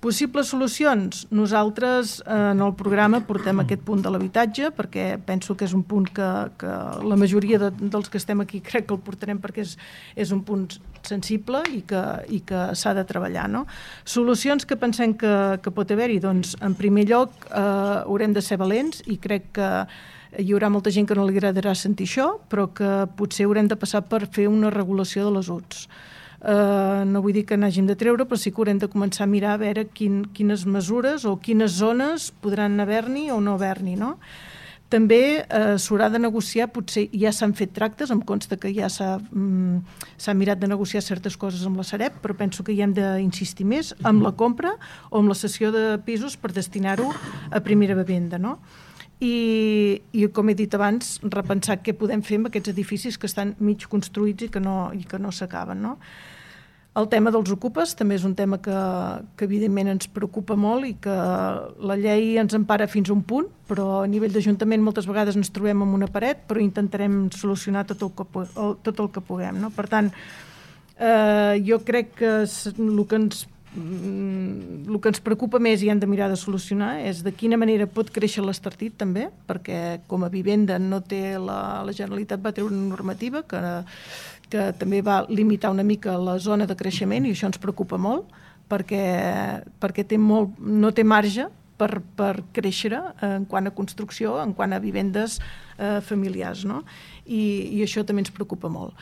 Possibles solucions? Nosaltres en el programa portem aquest punt de l'habitatge perquè penso que és un punt que la majoria dels que estem aquí crec que el portarem perquè és un punt sensible i que s'ha de treballar. No? Solucions que pensem que pot haver-hi? Doncs, en primer lloc, haurem de ser valents i crec que hi haurà molta gent que no li agradarà sentir això, però que potser haurem de passar per fer una regulació de les UTS. No vull dir que n'hàgim de treure, però sí que haurem de començar a mirar a veure quines mesures o quines zones podran haver-n'hi o no haver-n'hi. No? També s'haurà de negociar, potser ja s'han fet tractes, em consta que ja s'ha mirat de negociar certes coses amb la Sareb, però penso que hi hem d'insistir més amb la compra o amb la cessió de pisos per destinar-ho a primera vivenda. No? I com he dit abans, repensar què podem fer amb aquests edificis que estan mig construïts i que no s'acaben. No? El tema dels ocupes també és un tema que evidentment ens preocupa molt i que la llei ens empara fins a un punt, però a nivell d'Ajuntament moltes vegades ens trobem amb una paret, però intentarem solucionar tot el que puguem. No? Per tant, jo crec que el que ens preocupa més i hem de mirar de solucionar és de quina manera pot créixer l'Estartit també, perquè com a vivenda no té la Generalitat va treure una normativa que també va limitar una mica la zona de creixement i això ens preocupa molt perquè no té marge per créixer en quant a construcció, en quant a vivendes familiars. No? I això també ens preocupa molt.